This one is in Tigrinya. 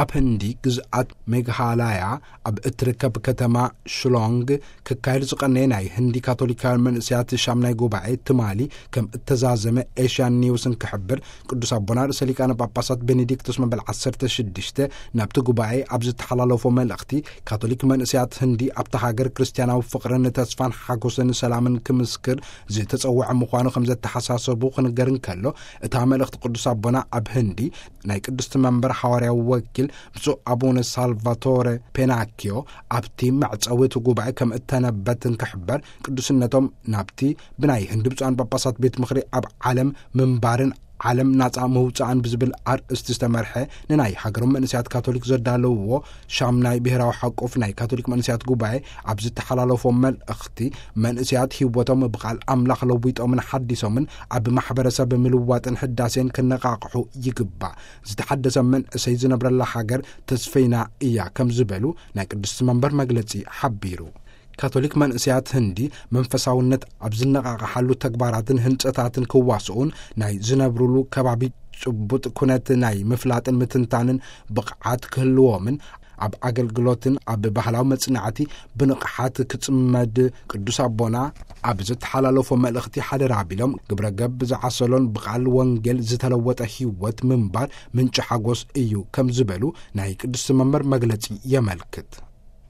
ኣብ ህንዲ ግዝኣት ሜግሃላያ ኣብ እትርከብ ከተማ ሽሎንግ ክካየድ ዝቐነየ ናይ ህንዲ ካቶሊካውያን መንእሰያት ሻምናይ ጉባኤ ትማሊ ከም እተዛዘመ ኤሽያን ኒውስን ክሕብር፣ ቅዱስ ኣቦና ርእሰ ሊቃነ ጳጳሳት ቤኔዲክቶስ መበል ዓሰርተ ሽዱሽተ ናብቲ ጉባኤ ኣብ ዝተሓላለፎ መልእኽቲ፣ ካቶሊክ መንእሰያት ህንዲ ኣብታ ሃገር ክርስትያናዊ ፍቕርን ተስፋን ሓጎስን ሰላምን ክምስክር ዝተጸውዐ ምዃኑ ከም ዘተሓሳሰቡ ክንገር እንከሎ፣ እታ መልእኽቲ ቅዱስ ኣቦና ኣብ ህንዲ ናይ ቅድስቲ መንበር ሓዋርያዊ ወኪል ብፁዕ ኣቡነ ሳልቫቶረ ፔናኪዮ ኣብቲ መዕጸዊ እቲ ጉባኤ ከም እተነበትን ክሕበር፣ ቅዱስነቶም ናብቲ ብናይ ህንዲ ብፁዓን ጳጳሳት ቤት ምኽሪ ኣብ ዓለም ምንባርን ዓለም ናጻ ምውጻእን ብዝብል ኣርእስቲ ዝተመርሐ ንናይ ሃገሮም መንእሰያት ካቶሊክ ዘዳለውዎ ሻምናይ ብሔራዊ ሓቆፍ ናይ ካቶሊክ መንእሰያት ጉባኤ ኣብ ዝተሓላለፎ መልእኽቲ፣ መንእሰያት ህይወቶም ብቓል ኣምላኽ ለዊጦምን ሓዲሶምን ኣብ ማሕበረሰብ ምልዋጥን ሕዳሴን ክነቓቕሑ ይግባእ። ዝተሓደሰ መንእሰይ ዝነብረላ ሃገር ተስፈይና እያ ከም ዝበሉ ናይ ቅድስቲ መንበር መግለጺ ሓቢሩ። ካቶሊክ መንእሰያት ህንዲ መንፈሳውነት ኣብ ዝነቓቕሓሉ ተግባራትን ህንጸታትን ክዋስኡን ናይ ዝነብሩሉ ከባቢ ጭቡጥ ኩነት ናይ ምፍላጥን ምትንታንን ብቕዓት ክህልዎምን ኣብ ኣገልግሎትን ኣብ ባህላዊ መጽናዕቲ ብንቕሓት ክጽመድ ቅዱስ ኣቦና ኣብ ዝተሓላለፎ መልእኽቲ ሓደራ ኣቢሎም፣ ግብረ ገብ ዝዓሰሎን ብቓል ወንጌል ዝተለወጠ ህይወት ምንባር ምንጪ ሓጎስ እዩ ከም ዝበሉ ናይ ቅድስቲ መንበር መግለጺ የመልክት።